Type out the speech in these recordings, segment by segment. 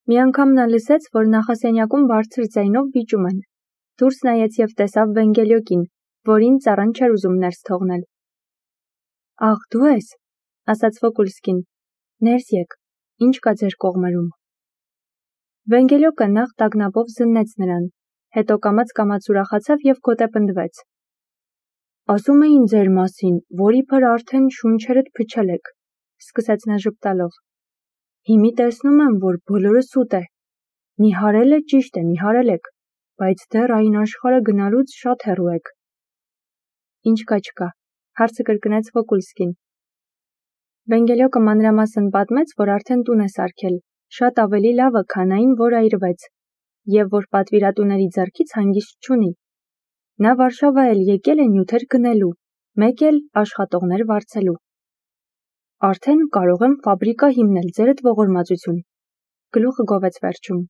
Մի անգամ նա լսեց, որ նախասենյակում բարձր ձայնով վիճում են։ Դուրս նայեց և տեսավ Վենգելյոկին, որին ծառան չէր ուզում ներս թողնել։ «Աղ, դու ես», ասաց Վոկուլսկին, «ներս եկ, ինչ կա ձեր կողմերում»։ Վենգելյոկը նախ տագնապով զննեց նրան, հետո կամաց ուրախացավ և գոտեպնդվեց։ «Ասում էին ձեր մասին, որ իբր արդեն շունչերդ փչել եք», սկսեց նա ժպտալով։ «Հիմի տեսնում եմ, որ բոլորը սուտ է։ Նիհարել է ճիշտ է, նիհարել եք, բայց դեռ այն աշխարհը գնալուց շատ հեռու եք»։ «Ինչ կա չկա», հարցը կրկնեց Վոկուլսկին։ Վենգելյոկը մանրամասն պատմեց, որ արդեն տուն է սարքել, շատ ավելի լավը, քան այն, որ այրվեց, և որ պատվիրատուների ձեռքից հանգիստ չունի։ Նա Վարշավա էլ եկել է նյութեր գնելու, մեկ էլ աշխատողներ վարձելու։ «Արդեն կարող եմ ֆաբրիկա հիմնել ձերդ ողորմածություն», գլուխը գովեց վերջում։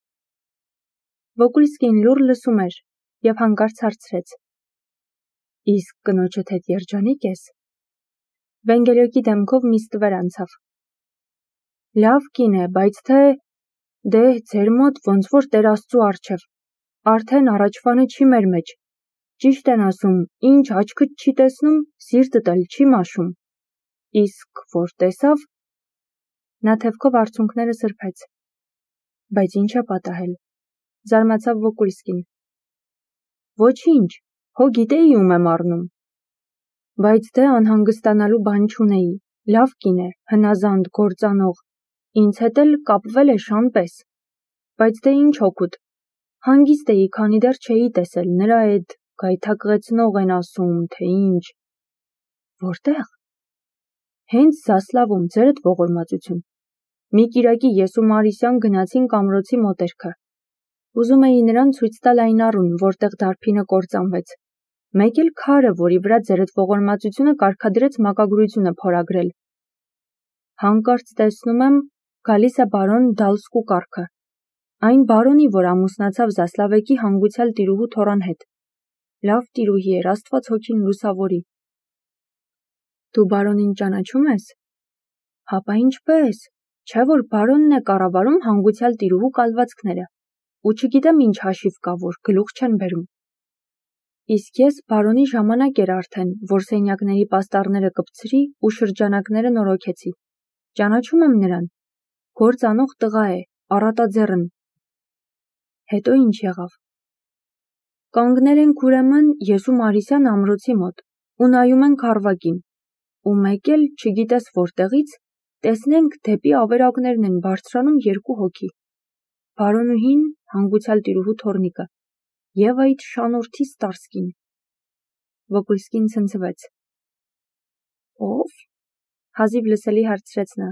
Վոկուլսկին լուռ լսում էր և հանկարծ հարցրեց. «Իսկ կնոջդ հետ երջանիկ ես»։ Վենգելյոկի դեմքով մի ստվեր անցավ։ «Լավ կին է, բայց դե ձեր մոտ ոնց որ Տեր Աստծու առջև, արդեն առաջվանը չի մեր մեջ, ճիշտ են ասում, ինչ աչքդ չի տեսնում, սիրտդ էլ չի մաշում, իսկ որ տեսավ»։ Նա թևքով արցունքները սրբեց։ «Բայց ինչ է պատահել», զարմացավ Վոկուլսկին։ «Ոչինչ, հո գիտեի ում եմ առնում»։ «Բայց դե անհանգստանալու բան չունեի, լավ կին է, հնազանդ, գործանող, ինձ հետ էլ կապվել է շան պես, բայց դե ինչ օգուտ, հանգիստ էի, քանի դեռ չէի տեսել, նրա էդ գայթակղեցնող են ասում, թե ինչ»։ «Որտե՞ղ»։ «Հենց Զասլավում, ձերդ ողորմածություն։ Մի կիրակի ես ու Մարիսյան գնացինք ամրոցի մոտերքը։ Ուզում էի նրան ցույց տալ այն առուն, որտեղ դարբինը կործանվեց, մեկ էլ քարը, որի վրա ձերդ ողորմածությունը կարգադրեց մակագրությունը փորագրել։ Հանկարծ տեսնում եմ, գալիս է բարոն Դալսկու կառքը, այն բարոնի, որ ամուսնացավ Զասլավեկի հանգուցյալ տիրուհու Թորան հետ։ Լավ տիրուհի էր, Աստված հոգին լուսավորի»։ «Դու բարոնին ճանաչում ես»։ «Հապա ինչպես, չէ՞ որ բարոնն է կառավարում հանգուցյալ տիրուհու կալվածքները, ու չգիտեմ ինչ հաշիվ կա, որ գլուխ չեն բերում»։ «Իսկ ես բարոնի ժամանակ էր արդեն, որ սենյակների պաստառները կպցրի ու շրջանակները նորոգեցի։ Ճանաչում եմ նրան, գործ անող տղա է, առատաձեռն»։ «Հետո ինչ եղավ»։ «Կանգնել ենք ուրեմն ես ու Մարիսյան ամրոցի մոտ ու նայում ենք առվակին, ու մեկ էլ, չգիտես որտեղից, տեսնենք դեպի ավերակներն են բարձրանում երկու հոգի, բարոնուհին, հանգուցյալ տիրուհու թոռնիկը, և այդ շանորդի Ստարսկին»։ Վոկուլսկին ցնցվեց։ «Ո՞վ»։ հազիվ լսելի հարցրեց նա։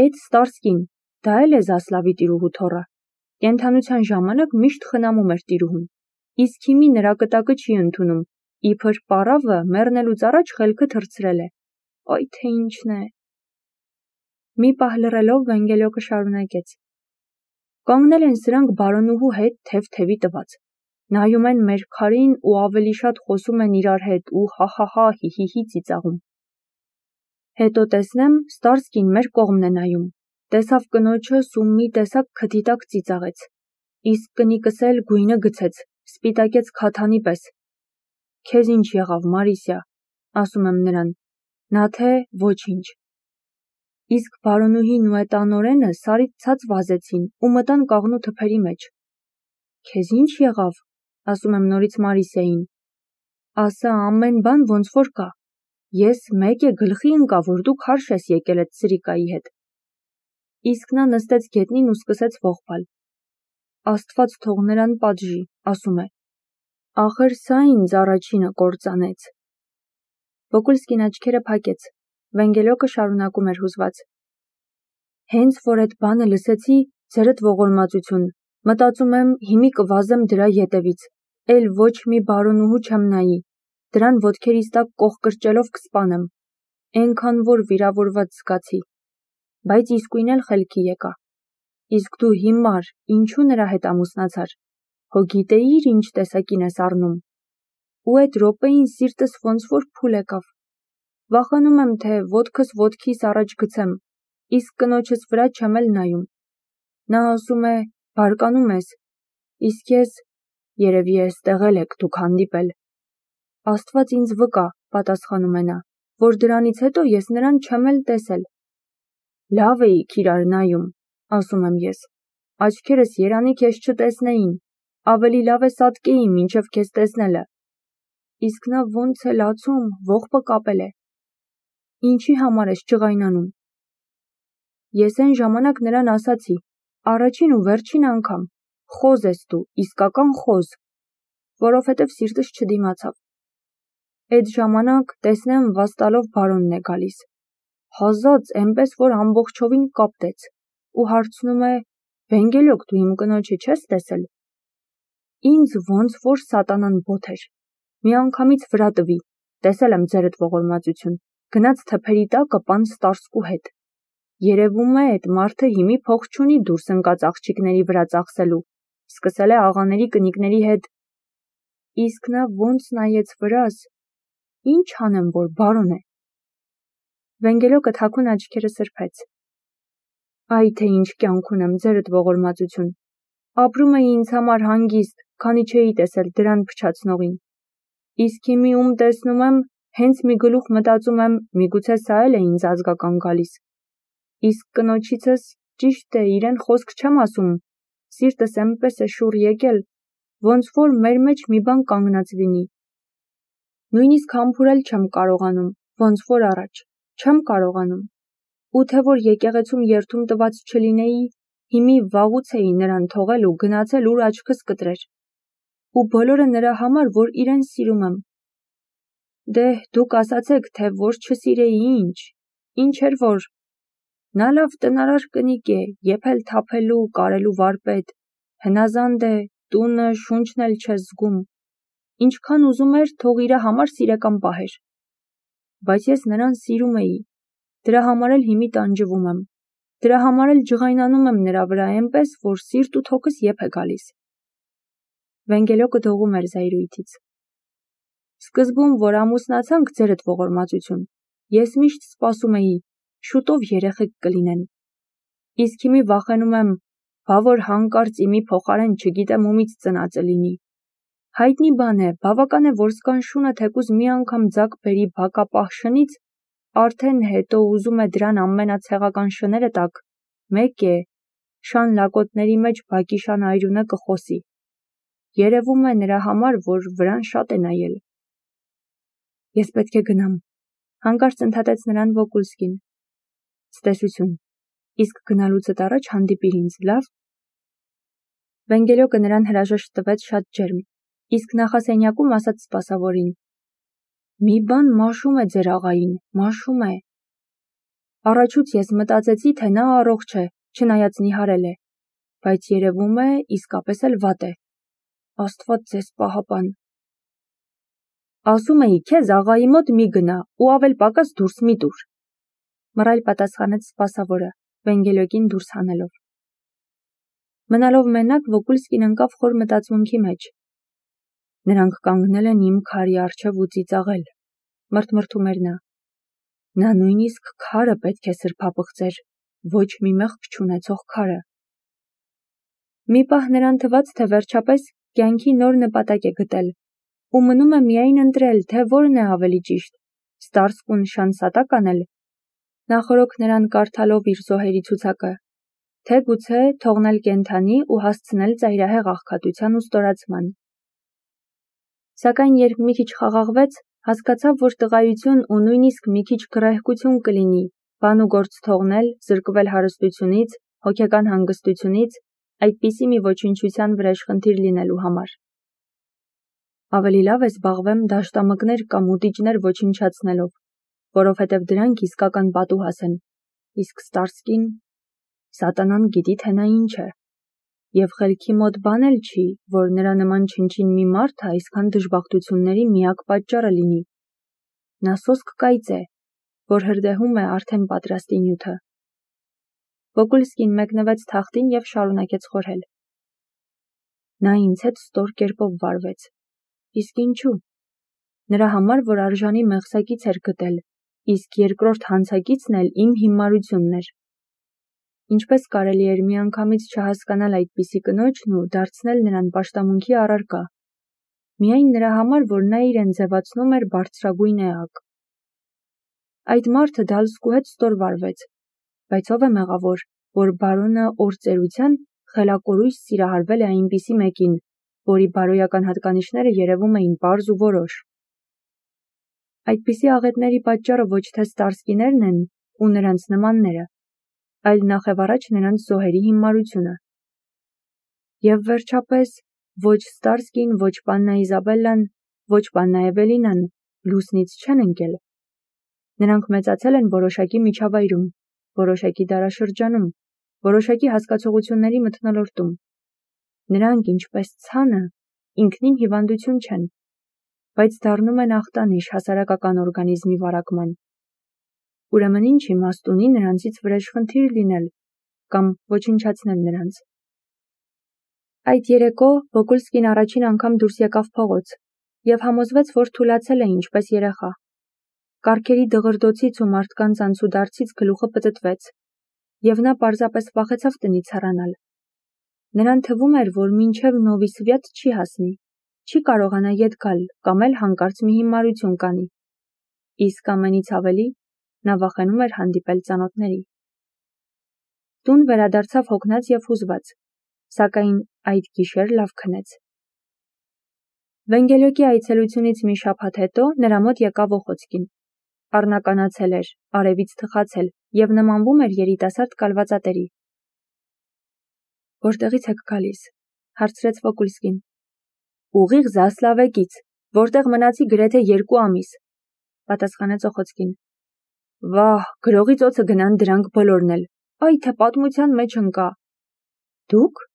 «Էդ Ստարսկին, դա էլ է Զասլավի տիրուհու թոռը, կենդանության ժամանակ միշտ խնամում էր տիրուհուն, իսկ հիմի նրա կտակը չի ընդունում, իբր պառավը մեռնելուց առաջ խելքը թռցրել է, այ թե ինչն է»։ Մի պահ լռելով Վենգելյոկը շարունակեց. «Կանգնել են սրանք բարոնուհու հետ թև-թևի տված, նայում են մեր քարին ու ավելի շատ խոսում են իրար հետ ու հա-հա-հա, հի-հի-հի ծիծաղում։ Հետո տեսնեմ, Ստարսկին մեր կողմն է նայում, տեսավ կնոջս ու մի տեսակ քթի տակ ծիծաղեց, իսկ կնիկս էլ գույնը գցեց, սպիտակեց քաթանի պես։ «Քեզ ինչ եղավ, Մարիսյա», ասում եմ նրան, նա թե ոչինչ։ Իսկ բարոնուհին ու էդ անօրենը սարից ցած վազեցին ու մտան կաղնու թփերի մեջ։ «Քեզ ինչ եղավ», ասում եմ նորից Մարիսյային, ասա ամեն բան ոնց որ կա, ես մեկ է գլխի ընկա, որ դու քարշ ես եկել էդ սրիկայի հետ։ Իսկ նա նստեց գետնին ու սկսեց ողբալ։ «Աստված թող նրան պատժի», ասում է, «ախր սա ինձ առաջինը կործանեց»։ Վոկուլսկին աչքերը փակեց, Վենգելյոկը շարունակում էր հուզված. «Հենց որ էդ բանը լսեցի, ձերդ ողորմածություն, մտածում եմ հիմի կվազեմ դրա ետևից, էլ ոչ մի բարոնուհու չեմ նայի, դրան ոտքերիս տակ կոխ կրճելով կսպանեմ, էնքան որ վիրավորված զգացի, բայց իսկույն էլ խելքի եկա։ Իսկ դու հիմար, ինչու նրա հետ ամուսնացար, հո գիտեիր ինչ տեսակին ես առնում։ Ու էդ րոպեին սիրտս ոնց որ փուլ եկավ։ Վախենում եմ, թե ոտքս ոտքիս առաջ գցեմ, իսկ կնոջս վրա չեմ էլ նայում։ Նա ասում է, բարկանում ես, իսկ ես, երևի էստեղ էլ եք դուք հանդիպել։ Աստված ինձ վկա, պատասխանում է նա, որ դրանից հետո ես նրան չեմ էլ տեսել։ Լավ էիք իրար նայում, ասում եմ ես, աչքերս երանի քեզ չտեսնեին, ավելի լավ է սատկեի մինչև քեզ տեսնելը։ Իսկ նա ոնց է լացում, ողբը կապել է։ Ինչի համար ես ջղայնանում։ Ես այն ժամանակ նրան ասացի, առաջին ու վերջին անգամ, խոզ ես դու, իսկական խոզ, որովհետև սիրտս չդիմացավ։ Այդ ժամանակ տեսնեմ վաստալով բարոնն է գալիս, հազած էնպես, որ ամբողջովին կապտեց, ու հարցնում է, Վենգելոկ, դու իմ կնոջը չես տեսել։ Ինձ ոնց որ սատանան բոթեր, միանգամից վրա տվի, տեսել եմ ձերդ ողորմածություն, գնաց թփերի տակը պան Ստարսկու հետ։ Երևում է այդ մարդը հիմի փող չունի դուրս ընկած աղջիկների վրա ծախսելու, սկսել է աղաների կնիկների հետ։ Իսկ նա ոնց նայեց վրաս, ինչ անեմ, որ բարոն է։ Վենգելոկը թաքուն աչքերը սրբեց։ Այ թե ինչ կյանք ունեմ, ձերդ ողորմածություն։ Ապրում էի ինձ համար հանգիստ, քանի չէի տեսել դրան փչացնողին։ Իսկ հիմի ում տեսնում եմ, հենց մի գլուխ մտածում եմ, միգուցե սա էլ է ինձ ազգական գալիս։ Իսկ կնոջիցս, ճիշտ է, իրեն խոսք չեմ ասում, սիրտս էնպես է շուռ եկել, ոնց որ մեր մեջ մի բան կանգնած լինի։ Նույնիսկ համբուրել չեմ կարողանում, ոնց որ առաջ, չեմ կարողանում։ Ու թե որ եկեղեցում երդում տված չլինեի, հիմի վաղուց էի նրան թողել ու գնացել ուր աչքս կտրեր։ Ու բոլորը նրա համար, որ իրեն սիրում եմ։ Դե, դուք ասացեք, թե որ չսիրեի ինչ էր որ։ Նա լավ տնարար կնիկ է, եփել թափելու, կարելու վարպետ, հնազանդ է, տունը, շունչն էլ չես զգում։ Ինչքան ուզում էր, թող իրա համար սիրեկան պահեր։ Բայց ես նրան սիրում էի, դրա համար էլ հիմի տանջվում եմ, դրա համար էլ ջղայնանում եմ նրա վրա էնպես, որ սիրտ ու թոքս եփ է գալիս։ Վենգելոկը դողում էր զայրույթից։ Սկզբում, որ ամուսնացանք, ձերդ ողորմածություն, ես միշտ սպասում էի, շուտով երեխեք կլինեն։ Իսկ հիմի վախենում եմ, բա որ հանկարծ իմի փոխարեն չգիտեմ ումից ծնածը լինի։ Հայտնի բան է, բավական է, որ սկանշունը թեկուզ մի անգամ ձակ բերի բակապահ շնից, արդեն հետո ուզում է դրան ամենացեղական շները տակ, մեկ է, շան լակոտների մեջ բակի շան այրունը կխոսի։ Երևում է նրա համար, որ վրան շատ է նայել։ Ես պետք է գնամ, հանկարծ ընդհատեց նրան Վոկուլսկին։ Ցտեսություն, իսկ գնալուցդ առաջ հանդիպիր ինձ, լավ։ Վենգելոկը նրան հրաժեշտ տվեց շատ ջերմ, իսկ նախասենյակում ասաց սպասավորին. Մի բան մաշում է ձեր աղային, մաշում է։ Առաջուց ես մտածեցի, թե նա առողջ է, չնայած նիհարել է, բայց երևում է իսկապես էլ վատ է։ Աստված ձեզ պահապան։ Ասում էի, քեզ աղայի մոտ մի գնա ու ավել պակաս դուրս մի տուր։ Մռայլ պատասխանեց սպասավորը, Վենգելոկին դուրս հանելով։ Մնալով մենակ, Վոկուլսկին ընկավ խոր մտածմունքի մեջ։ Նրանք կանգնել են իմ քարի առջև ու ծիծաղել, մրթմրթում էր նա։ Նա նույնիսկ քարը պետք է սրբապղծեր, ոչ մի մեղք չունեցող քարը։ Մի պահ նրան թվաց, թե վերջապես կյանքի նոր նպատակ է գտել, ու մնում է միայն ընտրել, թե որն է ավելի ճիշտ, Ստարսկուն շան սատակ անել, նախորոք նրան կարդալով իր զոհերի ցուցակը, թե գուցե թողնել կենթանի ու հասցնել ծայրահեղ աղքատության ու ստորացման։ Սակայն երբ մի քիչ խաղաղվեց, հասկացավ, որ տղայություն ու նույնիսկ մի քիչ գրահկություն կլինի, բան ու գործ թողնել, զրկվել հարստությունից, հոգեկան հանգստությունից, այդպիսի մի ոչնչության վրեժխնդիր լինելու համար։ Ավելի լավ է զբաղվեմ դաշտամկներ կամ ուտիճներ ոչնչացնելով, որովհետև դրանք իսկական պատուհաս են, իսկ Ստարսկին, սատանան գիտի, թե նա ինչ է, և խելքի մոտ բան էլ չի, որ նրա նման չնչին մի մարդը այսքան դժբախտությունների միակ պատճառը լինի։ Նա սոսկ կայծ է, որ հրդեհում է արդեն պատրաստի նյութը։ Վոկուլսկին մեկնվեց թախտին և շարունակեց խորհել։ Նա ինձ հետ ստոր կերպով վարվեց։ Իսկ ինչու։ Նրա համար, որ արժանի մեղսակից էր գտել, իսկ երկրորդ հանցակիցն էլ իմ հիմարությունն էր։ ինչպես կարելի էր միանգամից չհասկանալ այդպիսի կնոջն ու դարձնել նրան պաշտամունքի առարկա, միայն նրա համար, որ նա իրեն ձևացնում էր բարձրագույն էակ։ Այդ մարդը Դալսկու հետ ստորվարվեց, բայց ով է մեղավոր, որ բարոնը օրծերության խելակորույս սիրահարվել է այնպիսի մեկին, որի բարոյական հատկանիշները երևում էին պարզ ու որոշ։ Այդպիսի աղետների պատճառը ոչ թե ստարսկիներն են ու նրանց նմանները, այլ նախևառաջ նրանց զոհերի հիմարությունը։ Եվ վերջապես, ոչ Ստարսկին, ոչ պաննա Իզաբելլան, ոչ պաննա Էվելինան լուսնից չեն ընկել։ Նրանք մեծացել են որոշակի միջավայրում, որոշակի դարաշրջանում, որոշակի հասկացողությունների մթնոլորտում։ Նրանք, ինչպես ցանը, ինքնին հիվանդություն չեն, բայց դառնում են ախտանիշ հասարակական օրգանիզմի վարակման։ Ուրեմն ինչ իմաստ ունի նրանցից վրեժխնդիր լինել կամ ոչնչացնել նրանց։ Այդ երեկո Վոկուլսկին առաջին անգամ դուրս եկավ փողոց և համոզվեց, որ թուլացել է ինչպես երեխա։ Կառքերի դղրդոցից ու մարդկանց անցուդարձից գլուխը պտտվեց, և նա պարզապես վախեցավ տնից հեռանալ։ Նրան թվում էր, որ մինչև Նովի Սվյատ չի հասնի, չի կարողանա ետ գալ կամ էլ հանկարծ մի հիմարություն կանի։ Իսկ ամենից ավելի նա վախենում էր հանդիպել ծանոթների։ Տուն վերադարձավ հոգնած և հուզված, սակայն այդ գիշեր լավ քնեց։ Վենգելյոկի այցելությունից մի շաբաթ հետո նրա մոտ եկավ Օխոցկին։ Առնականացել էր, արևից թխացել և նմանվում էր երիտասարդ կալվածատերի։ «Որտեղից եք գալիս», հարցրեց Վոկուլսկին։ «Ուղիղ Զասլավեկից, որտեղ մնացի գրեթե 2 ամիս», պատասխանեց Օխոցկին։ «Վահ, գրողի ծոցը գնան դրանք բոլորն էլ, այ թե պատմության մեջ ընկա»։ «Դուք»։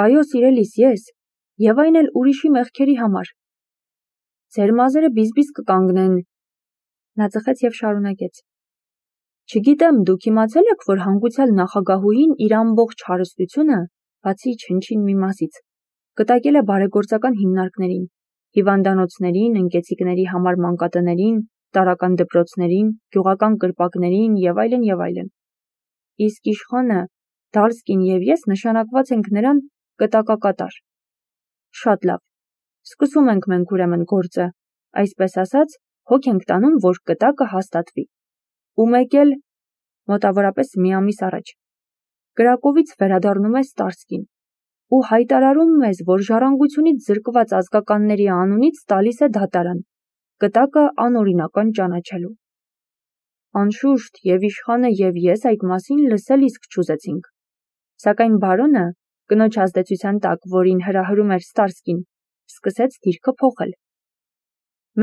«Այո, սիրելիս, ես, և այն էլ ուրիշի մեղքերի համար»։ «Ձեր մազերը բիզբիզ կկանգնեն», նա ծխեց և շարունակեց։ «Չգիտեմ, դուք իմացել եք, որ հանգուցյալ նախագահուհին իր ամբողջ հարստությունը, բացի չնչին մի մասից, կտակել է բարեգործական հիմնարկներին, հիվանդանոցներին, ընկեցիկների համար մանկատներին, տարրական դպրոցներին, գյուղական կրպակներին և այլն։ Իսկ իշխանը, Դալսկին և ես նշանակված ենք նրան կտակակատար։ Շատ լավ, սկսում ենք մենք ուրեմն գործը, այսպես ասած, հոգ ենք տանում, որ կտակը հաստատվի։ Ու մեկ էլ մոտավորապես մի ամիս առաջ Կրակովից վերադառնում է Ստարսկին ու հայտարարում մեզ, որ ժառանգությունից զրկված ազգականների անունից տալիս է դատարան, կտակը անօրինական ճանաչելու։ Անշուշտ, և իշխանը և ես այդ մասին լսել իսկ չուզեցինք, սակայն բարոնը, կնոջ ազդեցության տակ, որին հրահրում էր Ստարսկին, սկսեց դիրքը փոխել։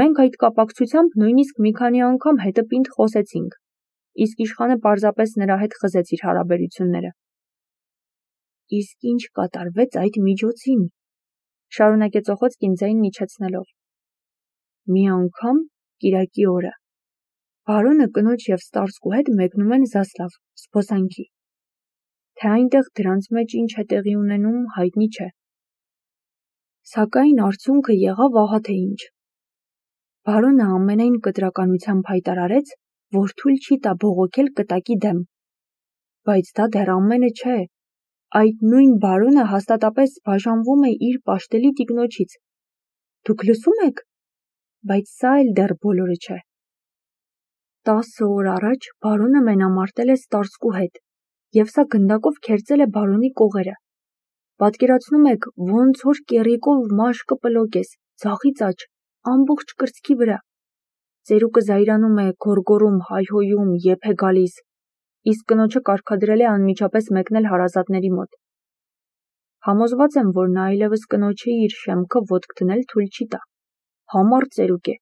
Մենք այդ կապակցությամբ նույնիսկ մի քանի անգամ հետը պինդ խոսեցինք, իսկ իշխանը պարզապես նրա հետ խզեց իր հարաբերությունները։ Իսկ ինչ կատարվեց այդ միջոցին, շարունակեց Օխոցկին ձայնն իջեցնելով։ Մի անգամ կիրակի օրը բարոնը կնոջ և Ստարսկու հետ մեկնում են Զասլավ, զբոսանքի։ Թե այնտեղ դրանց մեջ ինչ է տեղի ունենում, հայտնի չէ։ Սակայն արդյունքը եղավ ահա թե ինչ։ Բարոնը ամենայն կտրականությամբ հայտարարեց, որ թույլ չի տա բողոքել կտակի դեմ։ Բայց դա դեռ ամենը չէ։ Այդ նույն բարոնը հաստատապես բաժանվում է իր պաշտելի տիկնոջից։ Դուք լսում եք։ Բայց սա էլ դեռ բոլորը չէ։ 10 օր առաջ բարոնը մենամարտել է Ստարսկու հետ, և սա գնդակով քերծել է բարոնի կողերը։ Պատկերացնում եք, ոնց որ կեռիկով մաշկը պլոկես, ձախից աջ, ամբողջ կրծքի վրա։ Ծերուկը զայրանում է, գոռգոռում, հայհոյում, եփ է գալիս, իսկ կնոջը կարգադրել է անմիջապես մեկնել հարազատների մոտ։ Համոզված եմ, որ նա այլևս կնոջը իր շեմքը ոտք դնել թույլ չի տա։ Համառ ծերուկ է։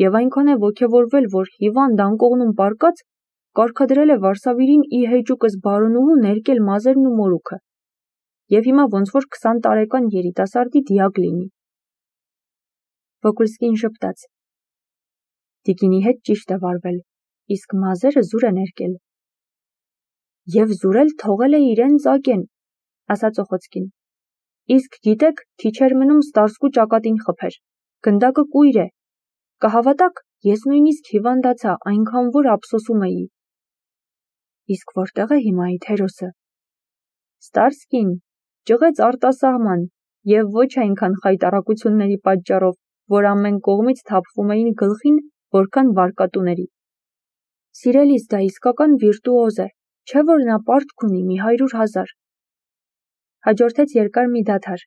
Եվ այնքան է ոգևորվել, որ հիվանդ անկողնում պառկած կարգադրել է Վարսավիրին ի հեճուկս բարոնուհու ներկել մազերն ու մորուքը։ Եվ հիմա ոնց որ 20 տարեկան երիտասարդի դիակ լինի։ Վոկուլսկին ժպտաց։ Տիկինի հետ ճիշտ է վարվել, իսկ մազերը զուր է ներկել։ Եվ զուրել թողել է իրեն ծակեն, ասաց Օխոցկին։ Իսկ գիտեք, քիչ էր մնում Ստարսկու ճակատին խփեր։ Գնդակը կույր է։ Կհավատաք, ես նույնիսկ հիվանդացա, այնքան որ ափսոսում էի։ Իսկ որտեղ է հիմա այդ հերոսը։ Ստարսկին ճղեց արտասահման և ոչ այնքան խայտառակությունների պատճառով, որ ամեն կողմից թափվում էին գլխին, որքան վարկատուների։ Սիրելիս, դա իսկական վիրտուոզ է, չէ՞ որ նա պարտք ունի մի 100,000։ Հաջորդեց երկար մի դադար։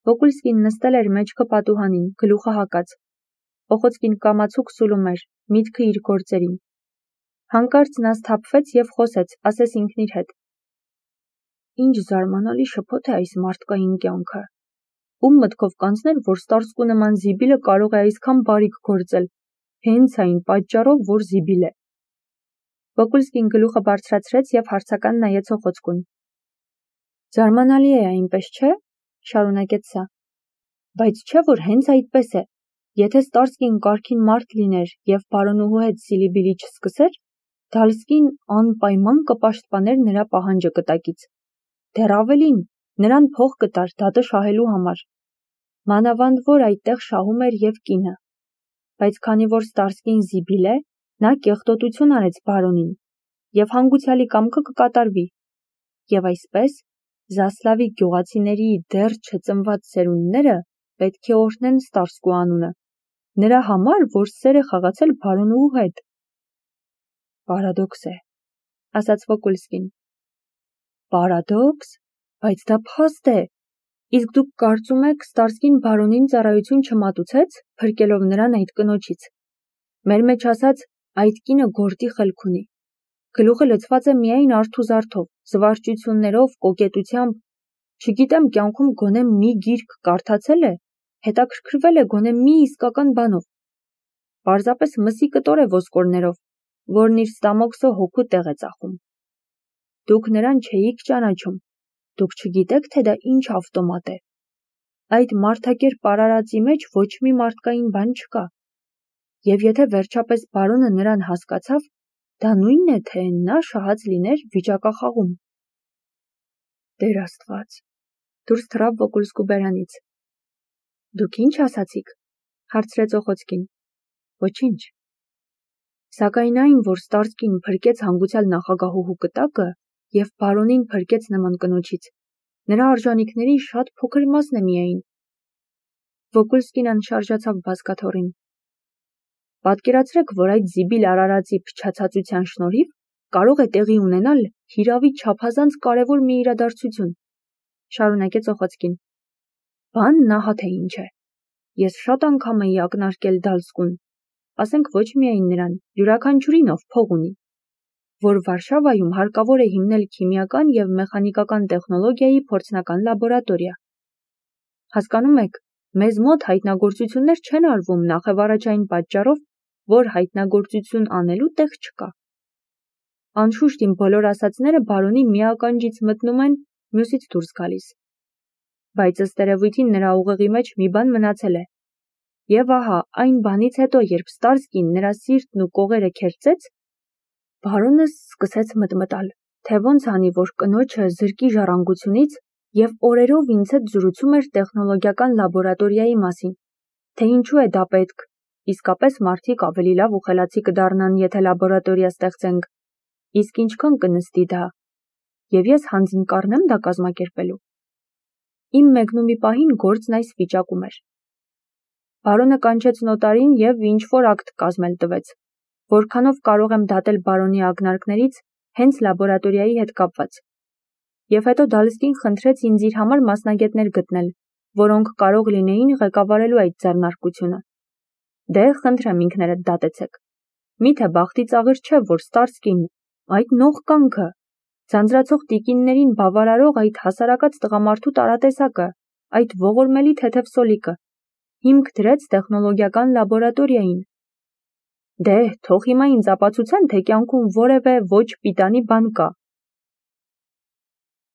Վոկուլսկին նստել էր մեջքը պատուհանին, գլուխը հակած։ Օխոցկին կամացուկ սուլում էր, միտքը իր գործերին։ Հանկարծ նա սթափվեց և խոսեց, ասես ինքն իր հետ. Ինչ զարմանալի շփոթ է այս մարդկային կյանքը։ Ում մտքով կանցներ, որ Ստարսկու նման զիբիլը կարող է այսքան բարիք գործել, հենց այն պատճառով, որ զիբիլ է։ Վոկուլսկին գլուխը բարձրացրեց և հարցական նայեց Օխոցկուն։ Զարմանալի է այնպես, չէ՞, շարունակեց սա։ Բայց չէ՞ որ հենց այդպես է։ Եթե Ստարսկին կարգին մարդ լիներ և բարոնուհու հետ սիլիբիլի չսկսեր, Դալսկին անպայման կպաշտպաներ նրա պահանջը կտակից։ Դեռ ավելին, նրան փող կտար դատը շահելու համար։ Մանավանդ որ այդտեղ շահում էր և կինը։ Բայց քանի որ Ստարսկին զիբիլ է, նա կեղտոտություն արեց բարոնին, և հանգուցյալի կամքը կկատարվի։ Եվ այսպես, Զասլավի գյուղացիների դեռ չծնված սերունդները պետք է օրհնեն Ստարսկու անունը, նրա համար, որ սեր է խաղացել բարոնուհու հետ։ Պարադոքս է, ասաց Վոկուլսկին։ Պարադոքս, բայց դա փաստ է։ Իսկ դուք կարծում եք Ստարսկին բարոնին ծառայություն չմատուցեց, փրկելով նրան այդ կնոջից։ Մեր մեջ ասած, այդ կինը գործի խելք ունի։ Գլուխը լցված է միայն արթուզարդով, զվարճություններով, կոկետությամբ։ Չգիտեմ կյանքում գոնե մի գիրք կարդացել է, հետաքրքրվել է գոնե մի իսկական բանով։ Պարզապես մսի կտոր է ոսկորներով, որն իր ստամոքսը հոգու տեղ է ծախում։ Դուք նրան չէիք ճանաչում, դուք չգիտեք, թե դա ինչ ավտոմատ է։ Այդ մարդակերպ արարածի մեջ ոչ մի մարդկային բան չկա։ Եվ եթե վերջապես բարոնը նրան հասկացավ, դա նույնն է, թե նա շահած լիներ վիճակախաղում։ Տեր Աստված, դուրս թռավ Վոկուլսկու բերանից։ Դուք ինչ ասացիք, հարցրեց Օխոցկին։ Ոչինչ։ Սակայն այն, որ Ստարսկին փրկեց հանգուցյալ նախագահուհու կտակը և բարոնին փրկեց նման կնոջից, նրա արժանիքների շատ փոքր մասն է միայն։ Վոկուլսկին անշարժացավ բազկաթոռին։ Պատկերացրեք, որ այդ զիբիլ արարածի փչացածության շնորհիվ կարող է տեղի ունենալ հիրավի չափազանց կարևոր մի իրադարձություն, շարունակեց Օխոցկին։ Բանն ահա թե ինչ է։ Ես շատ անգամ էի ակնարկել Դալսկուն, ասենք ոչ միայն նրան, յուրաքանչյուրին, ով փող ունի, որ Վարշավայում հարկավոր է հիմնել քիմիական և մեխանիկական տեխնոլոգիայի փորձնական լաբորատորիա։ Հասկանում եք, մեզ մոտ հայտնագործություններ չեն արվում նախևառաջ այն պատճառով, որ հայտնագործություն անելու տեղ չկա։ Անշուշտ իմ բոլոր ասածները բարոնի մի ականջից մտնում են, մյուսից դուրս գալիս։ Բայց ըստ երևույթին նրա ուղեղի մեջ մի բան մնացել է։ Եվ ահա, այն բանից հետո, երբ Ստարսկին նրա սիրտն ու կողերը քերծեց, բարոնը սկսեց մտմտալ, թե ոնց անի, որ կնոջը զրկի ժառանգությունից և օրերով ինձ հետ զրուցում էր տեխնոլոգիական լաբորատորիայի մասին, թե ինչու է դա պետք, իսկապես մարդիկ ավելի լավ ու խելացի կդառնան, եթե լաբորատորիա ստեղծենք, իսկ ինչքան կնստի դա, և ես հանձն կառնեմ դա կազմակերպելու։ Իմ մեկնումի պահին գործն այս վիճակում էր։ Բարոնը կանչեց նոտարին և ինչ-որ ակտ կազմել տվեց, որքանով կարող եմ դատել բարոնի ակնարկներից հենց լաբորատորիայի հետ կապված։ Եվ հետո Դալսկին խնդրեց ինձ իր համար մասնագետներ գտնել, որոնք կարող լինեին ղեկավարելու այդ ձեռնարկությունը։ Դե, խնդրեմ ինքներդ դատեցեք։ Միթե բախտի ծաղր չէ, որ Ստարսկին, այդ նողկանքը, ձանձրացող տիկիններին բավարարող այդ հասարակած տղամարդու տարատեսակը, այդ ողորմելի թեթև սոլիկը, հիմք դրեց տեխնոլոգիական լաբորատորիային։ Դե, թող հիմա ինձ ապացուցեն, թե կյանքում որևէ ոչ պիտանի բան կա,